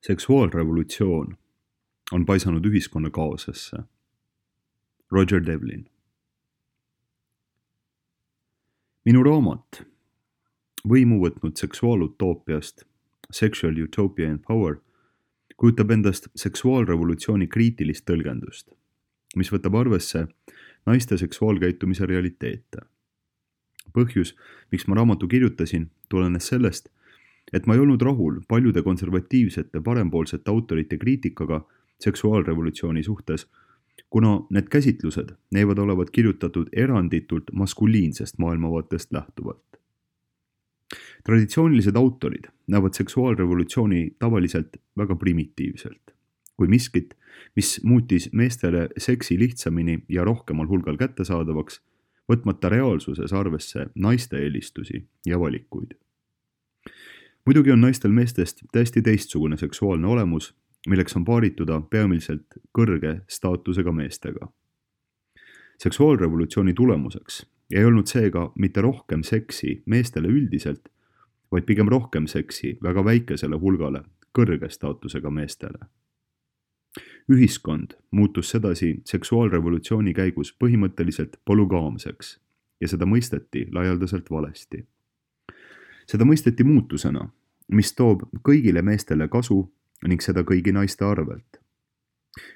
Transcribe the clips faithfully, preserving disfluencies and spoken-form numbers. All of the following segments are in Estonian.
Seksuaalrevolutsioon on paisanud ühiskonna kaosesse. Roger Devlin. Minu raamat võimu võtnud seksuaalutoopiast Sexual Utopia and Power kujutab endast seksuaalrevolutsiooni kriitilist tõlgendust, mis võtab arvesse naiste seksuaalkäitumise realiteete. Põhjus, miks ma raamatu kirjutasin, tulenes sellest, et ma ei olnud rahul paljude konservatiivsete parempoolsete autorite kriitikaga seksuaalrevolutsiooni suhtes, kuna need käsitlused näivad olevat kirjutatud eranditult maskuliinsest maailmavaatest lähtuvalt. Traditsioonilised autorid näevad seksuaalrevolutsiooni tavaliselt väga primitiivselt, kui miskit, mis muutis meestele seksi lihtsamini ja rohkemal hulgal kättesaadavaks, võtmata reaalsuses arvesse naiste eelistusi ja valikuid. Muidugi on naistel meestest täiesti teistsugune seksuaalne olemus, milleks on paarituda peamiselt kõrge staatusega meestega. Seksuaalrevolutsiooni tulemuseks ei olnud seega mitte rohkem seksi meestele üldiselt, vaid pigem rohkem seksi väga väikesele hulgale kõrge staatusega meestele. Ühiskond muutus sedasi seksuaalrevolutsiooni käigus põhimõtteliselt polügaamseks ja seda mõisteti laialdaselt valesti. Seda mõisteti muutusena, mis toob kõigile meestele kasu ning seda kõigi naiste arvelt.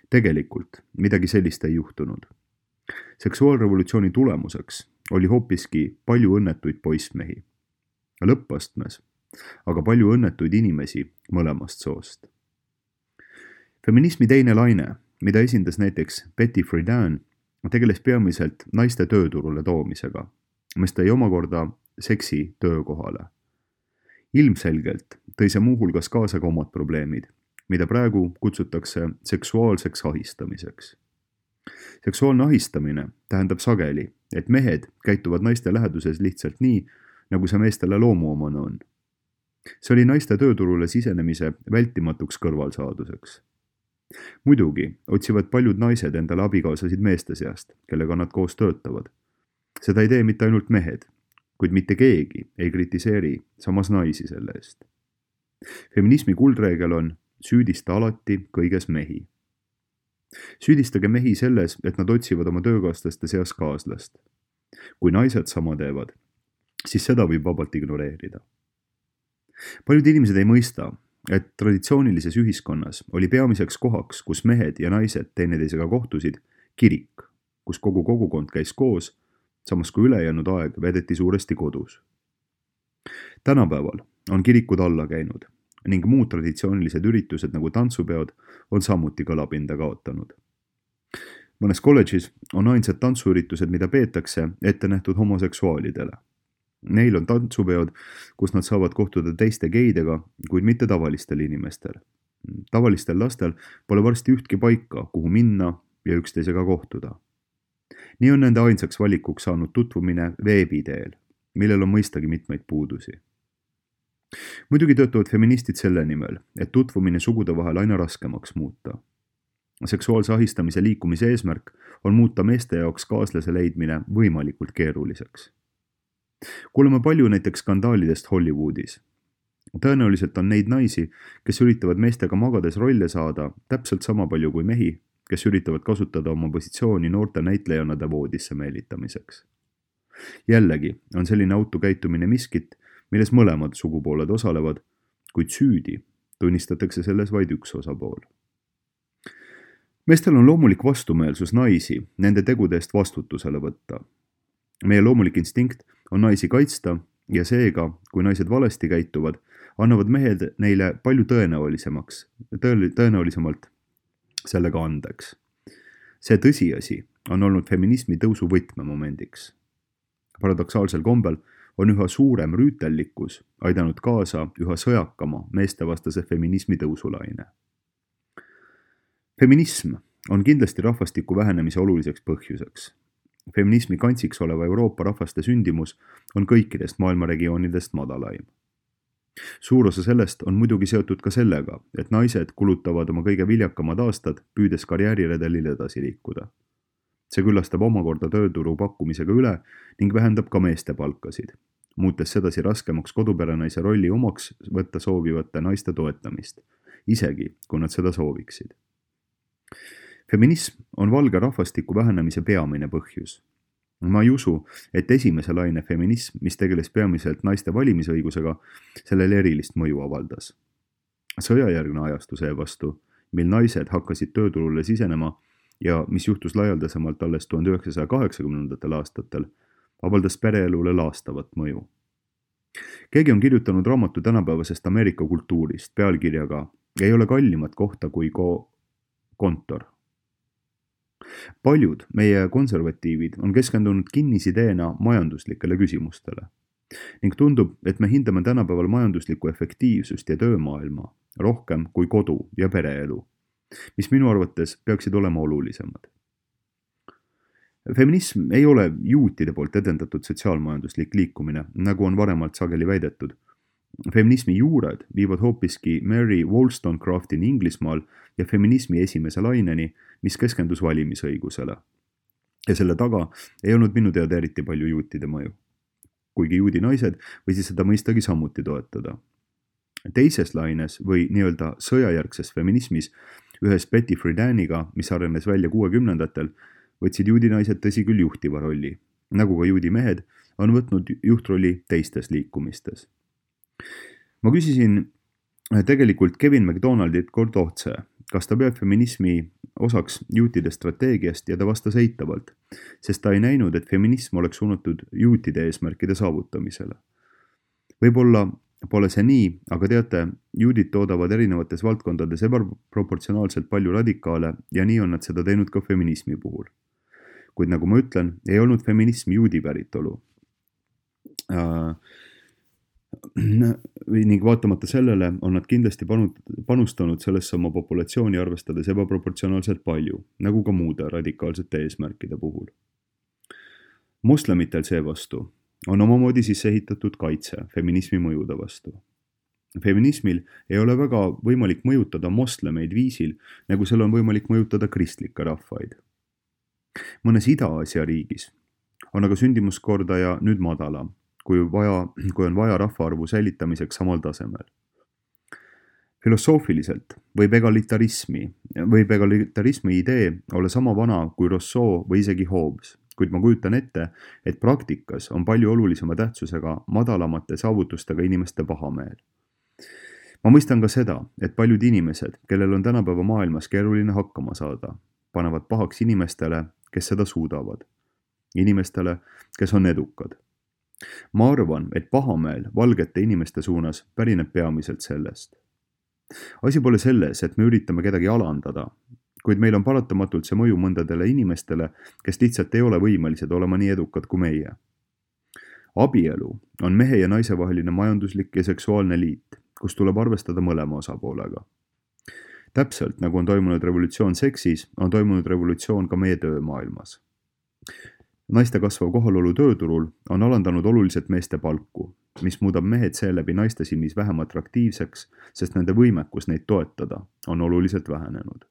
Tegelikult midagi sellist ei juhtunud. Seksuaalrevolutsiooni tulemuseks oli hoopiski palju õnnetuid poissmehi. Lõppastmes, aga palju õnnetuid inimesi mõlemast soost. Feminismi teine laine, mida esindas näiteks Betty Friedan, tegeles peamiselt naiste tööturule toomisega, mis tõi omakorda seksi töökohale. Ilmselgelt tõi see muuhulgas kaasa ka omad probleemid, mida praegu kutsutakse seksuaalseks ahistamiseks. Seksuaalne ahistamine tähendab sageli, et mehed käituvad naiste läheduses lihtsalt nii, nagu see meestele loomuomane on. See oli naiste tööturule sisenemise vältimatuks kõrvalsaaduseks. Muidugi otsivad paljud naised endale abikaasasid meeste seast, kellega nad koos töötavad. Seda ei tee mitte ainult mehed, kuid mitte keegi ei kritiseeri samas naisi selle eest. Feminismi kuldreegel on süüdista alati kõiges mehi. Süüdistage mehi selles, et nad otsivad oma töökaaslaste seas kaaslast. Kui naised sama teevad, siis seda võib vabalt ignoreerida. Paljud inimesed ei mõista, et traditsioonilises ühiskonnas oli peamiseks kohaks, kus mehed ja naised teineteisega kohtusid, kirik, kus kogu kogukond käis koos, samas kui ülejäänud aeg vedeti suuresti kodus. Tänapäeval on kirikud alla käinud ning muud traditsioonilised üritused nagu tantsupeod on samuti kõlapinda kaotanud. Mõnes kolledžis on ainsad tantsuüritused, mida peetakse ette nähtud homoseksuaalidele. Neil on tantsupeod, kus nad saavad kohtuda teiste geidega, kuid mitte tavalistel inimestel. Tavalistel lastel pole varsti ühtki paika, kuhu minna ja üksteisega kohtuda. Nii on nende ainsaks valikuks saanud tutvumine veebiteel, millel on mõistagi mitmeid puudusi. Muidugi töötavad feministid selle nimel, et tutvumine sugude vahel aina raskemaks muuta. Seksuaalse ahistamise liikumise eesmärk on muuta meeste jaoks kaaslase leidmine võimalikult keeruliseks. Kuuleme palju näiteks skandaalidest Hollywoodis. Tõenäoliselt on neid naisi, kes üritavad meestega magades rolle saada täpselt sama palju kui mehi, kes üritavad kasutada oma positsiooni noorte näitlejannade voodisse meelitamiseks. Jällegi on selline autokäitumine miskit, milles mõlemad sugupooled osalevad, kuid süüdi tunnistatakse selles vaid üks osapool. Meestel on loomulik vastumeelsus naisi nende tegude eest vastutusele võtta. Meie loomulik instinkt on naisi kaitsta ja seega, kui naised valesti käituvad, annavad mehed neile palju tõenäolisemaks, tõenäolisemalt sellega andeks. See tõsiasi on olnud feminismi tõusu võtmemomendiks. Paradoksaalsel kombel on üha suurem rüütellikkus aidanud kaasa üha sõjakama meestevastase feminismi tõusulaine. Feminism on kindlasti rahvastiku vähenemise oluliseks põhjuseks. Feminismi kantsiks oleva Euroopa rahvaste sündimus on kõikidest maailma regioonidest madalaim. Suur osa sellest on muidugi seotud ka sellega, et naised kulutavad oma kõige viljakamad aastad püüdes karjääriredelil edasi liikuda. See küllastab omakorda tööturu pakkumisega üle ning vähendab ka meeste palkasid, muutes sedasi raskemaks koduperenaise rolli omaks võtta soovivate naiste toetamist isegi kui nad seda sooviksid. Feminism on valge rahvastiku vähenemise peamine põhjus. Ma ei usu, et esimese laine feminism, mis tegeles peamiselt naiste valimisõigusega, sellele erilist mõju avaldas. Sõjajärgne ajastu seevastu, mil naised hakkasid tööturule sisenema ja mis juhtus laialdasemalt alles tuhande üheksasaja kaheksakümnendatel aastatel, avaldas pereelule laastavat mõju. Keegi on kirjutanud raamatu tänapäevasest Ameerika kultuurist pealkirjaga "Ei ole kallimat kohta kui ko- kontor". Paljud meie konservatiivid on keskendunud kinnisideena majanduslikele küsimustele ning tundub, et me hindame tänapäeval majanduslikku efektiivsust ja töömaailma rohkem kui kodu ja pereelu, mis minu arvates peaksid olema olulisemad. Feminism ei ole juutide poolt edendatud sotsiaalmajanduslik liikumine, nagu on varemalt sageli väidetud. Feminismi juured viivad hoopiski Mary Wollstonecraftini Inglismaal ja feminismi esimese laineni, mis keskendus valimisõigusele. Ja selle taga ei olnud minu teada eriti palju juutide mõju. Kuigi juudi naised võisid seda mõistagi samuti toetada. Teises laines või nii-öelda sõjajärgses feminismis ühes Betty Friedan'iga, mis arenes välja kuuekümnendatel, võtsid juudi naised tõsi küll juhtiva rolli, nagu ka juudi mehed on võtnud juhtrolli teistes liikumistes. Ma küsisin tegelikult Kevin McDonaldilt kord otse, kas ta peab feminismi osaks juutide strateegiast ja ta vastas eitavalt, sest ta ei näinud, et feminism oleks suunatud juutide eesmärkide saavutamisele. Võib-olla pole see nii, aga teate, juudid toodavad erinevates valdkondades ebaproportsionaalselt palju radikaale ja nii on nad seda teinud ka feminismi puhul. Kuid nagu ma ütlen, ei olnud feminism juudi päritolu. Uh, ning vaatamata sellele on nad kindlasti panustanud sellesse oma populatsiooni arvestades ebaproportsionaalselt palju, nagu ka muude radikaalsete eesmärkide puhul. Moslemitel seevastu on omamoodi sisse ehitatud kaitse feminismi mõjude vastu. Feminismil ei ole väga võimalik mõjutada moslemeid viisil, nagu seal on võimalik mõjutada kristlikke rahvaid. Mõnes Ida-Aasia riigis on aga sündimuskordaja nüüd madalam, kui, vaja, kui on vaja rahvaarvu säilitamiseks samal tasemel. Filosoofiliselt võib egalitarismi, võib egalitarismi idee olla sama vana kui Rousseau või isegi Hobbes, kuid ma kujutan ette, et praktikas on palju olulisema tähtsusega madalamate saavutustega inimeste pahameel. Ma mõistan ka seda, et paljud inimesed, kellel on tänapäeva maailmas keeruline hakkama saada, panevad pahaks inimestele, kes seda suudavad. Inimestele, kes on edukad. Ma arvan, et pahameel valgete inimeste suunas pärineb peamiselt sellest. Asi pole selles, et me üritame kedagi alandada, kuid meil on paratamatult see mõju mõndadele inimestele, kes lihtsalt ei ole võimelised olema nii edukad kui meie. Abielu on mehe ja naise vaheline majanduslik ja seksuaalne liit, kus tuleb arvestada mõlema osapoolega. Täpselt nagu on toimunud revolutsioon seksis, on toimunud revolutsioon ka meie töömaailmas. Naiste kasvav kohalolu tööturul on alandanud oluliselt meeste palku, mis muudab mehed seeläbi naiste silmis vähem atraktiivseks, sest nende võimekus neid toetada on oluliselt vähenenud.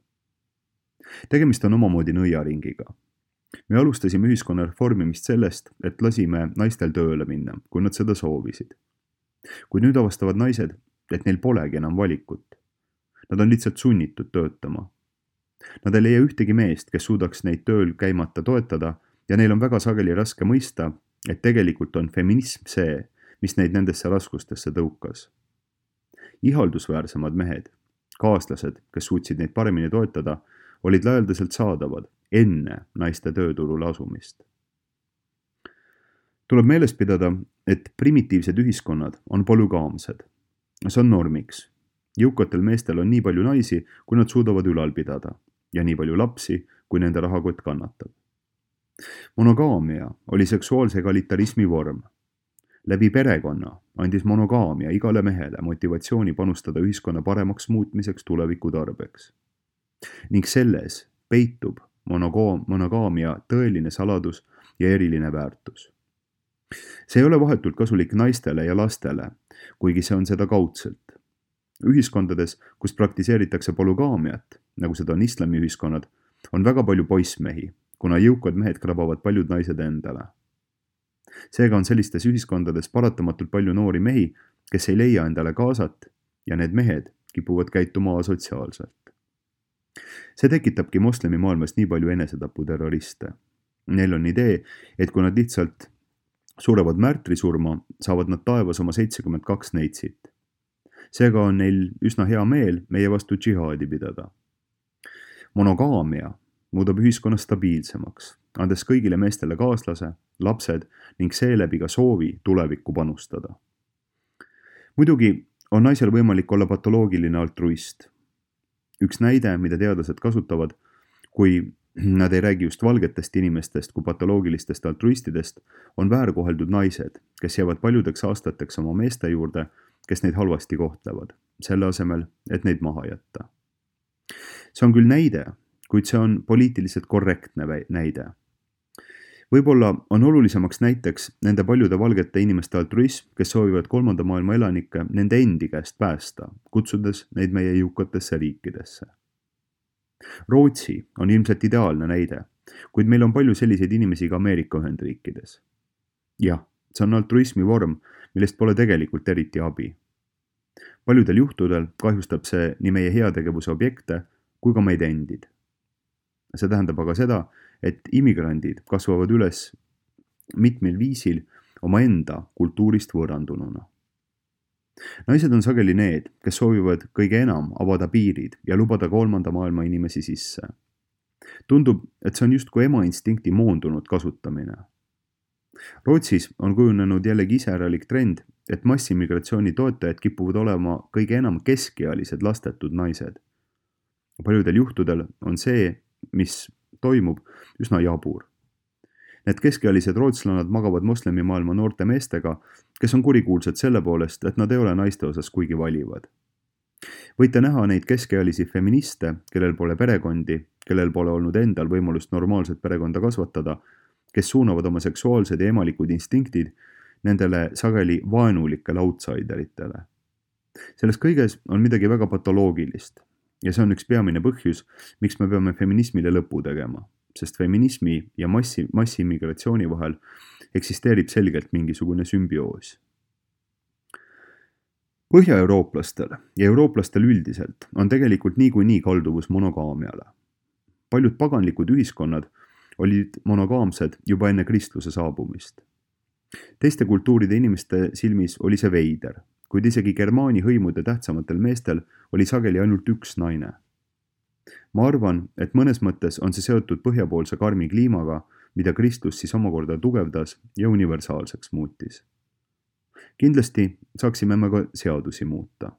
Tegemist on omamoodi nõiaringiga. Me alustasime ühiskonna reformimist sellest, et lasime naistel tööle minna, kui nad seda soovisid. Kui nüüd avastavad naised, et neil polegi enam valikut. Nad on lihtsalt sunnitud töötama. Nad ei leia ühtegi meest, kes suudaks neid tööl käimata toetada ja neil on väga sageli raske mõista, et tegelikult on feminism see, mis neid nendesse raskustesse tõukas. Ihaldusväärsemad mehed, kaaslased, kes suutsid neid paremini toetada, olid laialdaselt saadavad enne naiste tööturule asumist. Tuleb meeles pidada, et primitiivsed ühiskonnad on polügaamsed. See on normiks. Jõukatel meestel on nii palju naisi, kui nad suudavad ülal pidada ja nii palju lapsi, kui nende rahakott kannatab. Monogaamia oli seksuaalse egalitarismi vorm. Läbi perekonna andis monogaamia igale mehele motivatsiooni panustada ühiskonna paremaks muutmiseks tuleviku tarbeks. Ning selles peitub monogaamia tõeline saladus ja eriline väärtus. See ei ole vahetult kasulik naistele ja lastele, kuigi see on seda kaudselt. Ühiskondades, kus praktiseeritakse polügaamiat, nagu seda on islamiühiskonnad, on väga palju poissmehi, kuna jõukad mehed krabavad paljud naised endale. Seega on sellistes ühiskondades paratamatult palju noori mehi, kes ei leia endale kaasat ja need mehed, kipuvad käituma asotsiaalselt. See tekitabki moslemi maailmas nii palju enesetaputerroriste. Neil on idee, et kui nad lihtsalt surevad märtrisurma, saavad nad taevas oma seitsekümmend kaks neitsit. Seega on neil üsna hea meel meie vastu džihaadi pidada. Monogaamia muudab ühiskonna stabiilsemaks, andes kõigile meestele kaaslase, lapsed ning seeläbi ka soovi tulevikku panustada. Muidugi on naisel võimalik olla patoloogiline altruist. Üks näide, mida teadlased kasutavad, kui nad ei räägi just valgetest inimestest kui patoloogilistest altruistidest, on väärkoheldud naised, kes jäävad paljudeks aastateks oma meeste juurde, kes neid halvasti kohtlevad, selle asemel, et neid maha jätta. See on küll näide, kuid see on poliitiliselt korrektne näide. Võib-olla on olulisemaks näiteks nende paljude valgete inimeste altruism, kes soovivad kolmanda maailma elanikke nende endi käest päästa, kutsudes neid meie jõukatesse riikidesse. Rootsi on ilmselt ideaalne näide, kuid meil on palju selliseid inimesi ka Ameerika Ühendriikides. Jah, see on altruismi vorm, millest pole tegelikult eriti abi. Paljudel juhtudel kahjustab see nii meie heategevuse objekte kui ka meid endid. See tähendab aga seda, et immigrandid kasvavad üles mitmel viisil omaenda kultuurist võõrandununa. Naised on sageli need, kes soovivad kõige enam avada piirid ja lubada kolmanda maailma inimesi sisse. Tundub, et see on justkui ema instinkti moondunud kasutamine. Rootsis on kujunenud jällegi iseäralik trend, et massimigratsiooni toetajad kipuvad olema kõige enam keskealised lastetud naised. Paljudel juhtudel on see, mis toimub, üsna jabur. Need keskealised rootslannad magavad moslemi maailma noorte meestega, kes on kurikuulsad selle poolest, et nad ei ole naiste osas kuigi valivad. Võite näha neid keskealisi feministe, kellel pole perekondi, kellel pole olnud endal võimalust normaalset perekonda kasvatada, kes suunavad oma seksuaalsed ja emalikud instinktid nendele sageli vaenulikele outsideritele. Selles kõiges on midagi väga patoloogilist. Ja see on üks peamine põhjus, miks me peame feminismile lõpu tegema, sest feminismi ja massi, massiimmigratsiooni vahel eksisteerib selgelt mingisugune sümbioos. Põhja-eurooplastel ja eurooplastel üldiselt on tegelikult niikuinii kalduvus monogaamiale. Paljud paganlikud ühiskonnad olid monogaamsed juba enne kristluse saabumist. Teiste kultuuride inimeste silmis oli see veider, kuid isegi germaani hõimude tähtsamatel meestel oli sageli ainult üks naine. Ma arvan, et mõnes mõttes on see seotud põhjapoolse karmi kliimaga, mida Kristus siis omakorda tugevdas ja universaalseks muutis. Kindlasti saaksime me ka seadusi muuta.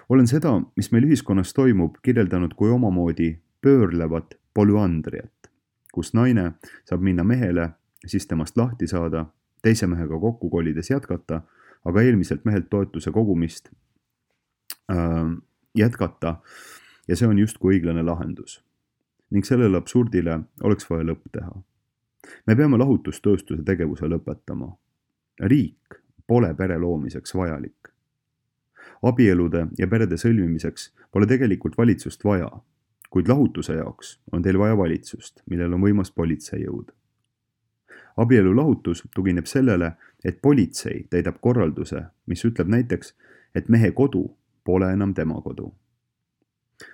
Olen seda, mis meil ühiskonnas toimub, kirjeldanud kui omamoodi pöörlevat polüandriat, kus naine saab minna mehele, siis temast lahti saada, teise mehega kokku kolides jätkata, aga eelmiselt mehelt toetuse kogumist äh, jätkata ja see on justkui õiglane lahendus. Ning sellele absurdile oleks vaja lõpp teha. Me peame lahutustööstuse tegevuse lõpetama. Riik pole pere loomiseks vajalik. Abielude ja perede sõlmimiseks pole tegelikult valitsust vaja, kuid lahutuse jaoks on teil vaja valitsust, millel on võimas politseijõud. Abielu lahutus tugineb sellele, et politsei täidab korralduse, mis ütleb näiteks, et mehe kodu pole enam tema kodu.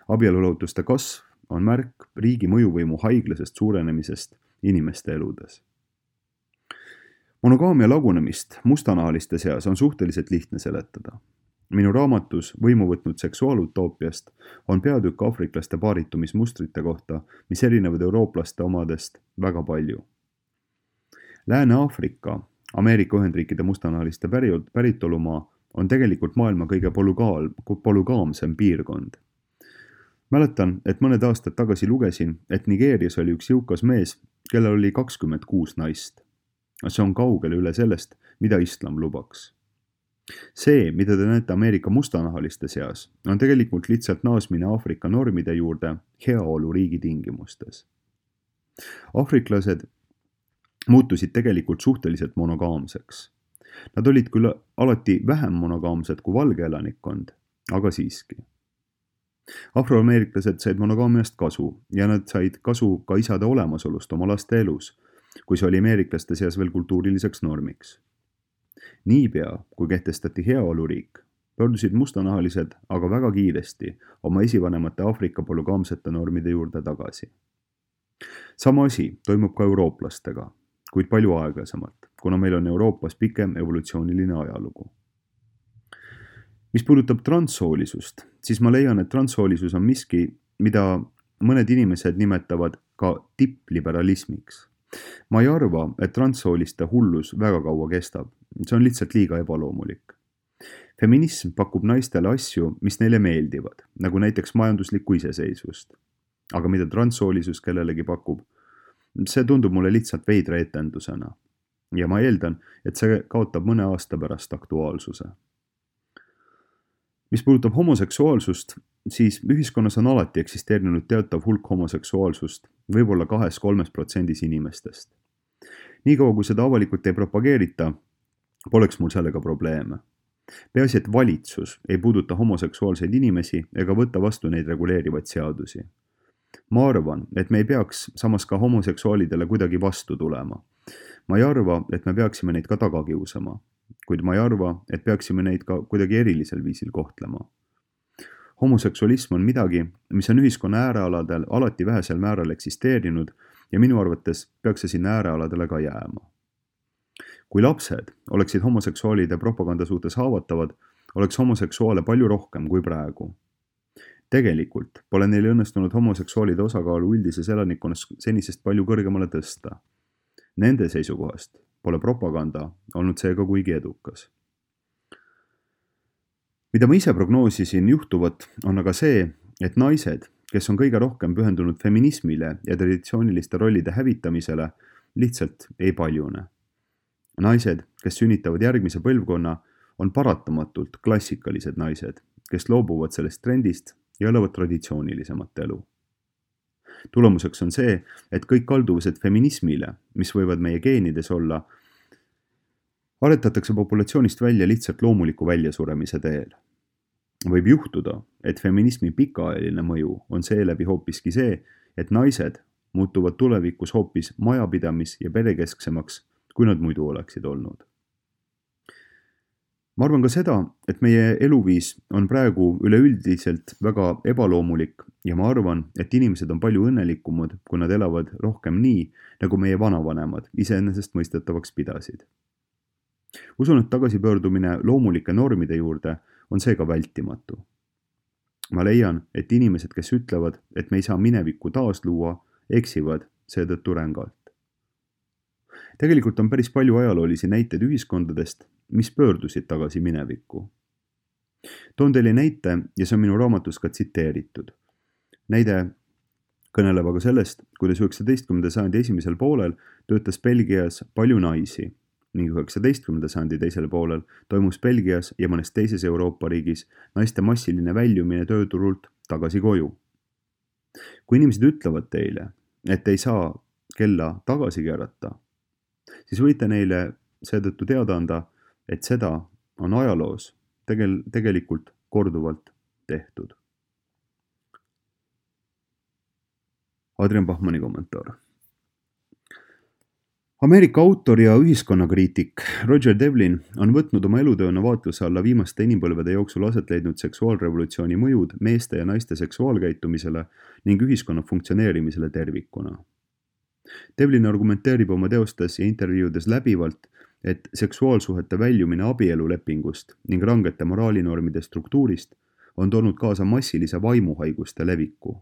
Abielulahutuste kasv on märk riigi mõjuvõimu haiglasest suurenemisest inimeste eludes. Monogaamia lagunemist mustanahaliste seas on suhteliselt lihtne seletada. Minu raamatus Võimu võtnud seksuaalutoopiast on peatükk aafriklaste paaritumismustrite kohta, mis erinevad eurooplaste omadest väga palju. Lääne-Aafrika, Ameerika Ühendriikide mustanahaliste päritolumaa on tegelikult maailma kõige polügaal, polügaamsem piirkond. Mäletan, et mõned aastad tagasi lugesin, et Nigeerias oli üks jõukas mees, kellel oli kakskümmend kuus naist. See on kaugele üle sellest, mida islam lubaks. See, mida te näete Ameerika mustanahaliste seas, on tegelikult lihtsalt naasmine Aafrika normide juurde heaolu riigi tingimustes. Aafriklased muutusid tegelikult suhteliselt monogaamseks. Nad olid küll alati vähem monogaamsed kui valge elanikkond, aga siiski. Afroameeriklased said monogaamiast kasu ja nad said kasu ka isade olemasolust oma laste elus, kui see oli ameeriklaste seas veel kultuuriliseks normiks. Niipea, kui kehtestati heaoluriik, pöördusid mustanahalised aga väga kiiresti oma esivanemate Aafrika polügaamsete normide juurde tagasi. Sama asi toimub ka eurooplastega, kuid palju aeglasemalt, kuna meil on Euroopas pikem evolutsiooniline ajalugu. Mis puudutab transsoolisust, siis ma leian, et transsoolisus on miski, mida mõned inimesed nimetavad ka tippliberalismiks. Ma ei arva, et transsooliste hullus väga kaua kestab. See on lihtsalt liiga ebaloomulik. Feminism pakub naistele asju, mis neile meeldivad, nagu näiteks majanduslikku iseseisvust. Aga mida transsoolisus kellelegi pakub, see tundub mulle lihtsalt veidra etendusena. Ja ma eeldan, et see kaotab mõne aasta pärast aktuaalsuse. Mis puudutab homoseksuaalsust, siis ühiskonnas on alati eksisteerinud teatav hulk homoseksuaalsust, võib-olla kahes-kolmes protsendis inimestest. Nii kaua, kui seda avalikult ei propageerita, poleks mul sellega probleeme. Peaasi, et valitsus ei puuduta homoseksuaalseid inimesi ega võtta vastu neid reguleerivaid seadusi. Ma arvan, et me ei peaks samas ka homoseksuaalidele kuidagi vastu tulema. Ma ei arva, et me peaksime neid ka taga kiusama, kuid ma ei arva, et peaksime neid ka kuidagi erilisel viisil kohtlema. Homoseksualism on midagi, mis on ühiskonna äärealadel alati vähesel määral eksisteerinud ja minu arvates peaks see sinna äärealadele ka jääma. Kui lapsed oleksid homoseksuaalide propaganda suhtes haavatavad, oleks homoseksuaale palju rohkem kui praegu. Tegelikult pole neil õnnestunud homoseksuaalide osakaalu üldises elanikkonnas senisest palju kõrgemale tõsta. Nende seisukohast pole propaganda olnud seega kuigi edukas. Mida ma ise prognoosisin juhtuvat, on aga see, et naised, kes on kõige rohkem pühendunud feminismile ja traditsiooniliste rollide hävitamisele, lihtsalt ei paljune. Naised, kes sünnitavad järgmise põlvkonna, on paratamatult klassikalised naised, kes loobuvad sellest trendist ja elavad traditsioonilisemat elu. Tulemuseks on see, et kõik kalduvused feminismile, mis võivad meie geenides olla, aretatakse populatsioonist välja lihtsalt loomuliku väljasuremise teel. Võib juhtuda, et feminismi pikaajaline mõju on seeläbi hoopiski see, et naised muutuvad tulevikus hoopis majapidamis- ja perekesksemaks, kui nad muidu oleksid olnud. Ma arvan ka seda, et meie eluviis on praegu üleüldiselt väga ebaloomulik ja ma arvan, et inimesed on palju õnnelikumad, kui nad elavad rohkem nii, nagu meie vanavanemad iseenesest mõistetavaks pidasid. Usun, et tagasipöördumine loomulike normide juurde on seega vältimatu. Ma leian, et inimesed, kes ütlevad, et me ei saa minevikku taasluua, eksivad seetõttu rängalt. Tegelikult on päris palju ajaloolisi näiteid ühiskondadest, mis pöördusid tagasi minevikku. Toon teile näite ja see on minu raamatus ka tsiteeritud. Näide kõneleb aga sellest, kuidas üheksateistkümnenda sajandi esimesel poolel töötas Belgias palju naisi ning üheksateistkümnenda sajandi teisel poolel toimus Belgias ja mõnes teises Euroopa riigis naiste massiline väljumine tööturult tagasi koju. Kui inimesed ütlevad teile, et ei saa kella tagasi keerata, siis võite neile seetõttu teada anda, et seda on ajaloos tegel- tegelikult korduvalt tehtud. Adrian Bachmanni kommentaar. Ameerika autor ja ühiskonnakriitik Roger Devlin on võtnud oma elutööna vaatluse alla viimaste inimpõlvede jooksul aset leidnud seksuaalrevolutsiooni mõjud meeste ja naiste seksuaalkäitumisele ning ühiskonna funktsioneerimisele tervikuna. Devlin argumenteerib oma teostes ja intervjuudes läbivalt, et seksuaalsuhete väljumine abielulepingust ning rangete moraalinormide struktuurist on toonud kaasa massilise vaimuhaiguste leviku,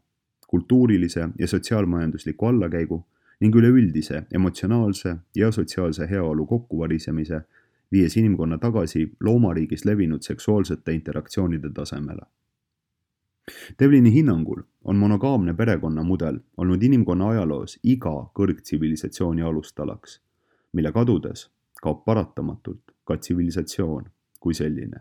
kultuurilise ja sotsiaalmajandusliku allakäigu ning üleüldise emotsionaalse ja sotsiaalse heaolu kokkuvarisemise, viies inimkonna tagasi loomariigis levinud seksuaalsete interaktsioonide tasemele. Devlini hinnangul on monogaamne perekonnamudel olnud inimkonna ajaloos iga kõrgtsivilisatsiooni alustalaks, mille kadudes kaob paratamatult ka tsivilisatsioon kui selline.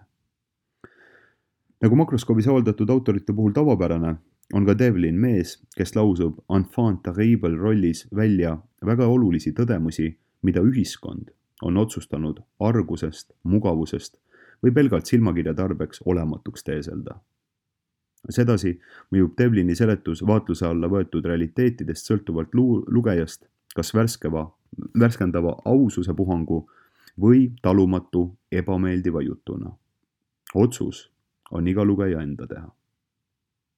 Nagu makroskoobis avaldatud autorite puhul tavapärane, on ka Devlin mees, kes lausub enfant terrible rollis välja väga olulisi tõdemusi, mida ühiskond on otsustanud argusest, mugavusest või pelgalt silmakirja tarbeks olematuks teeselda. Sedasi mõjub Devlini seletus vaatluse alla võetud realiteetidest sõltuvalt lu- lugejast, kas värskeva, värskendava aususe puhangu või talumatu ebameeldiva jutuna. otsus on iga lugeja enda teha.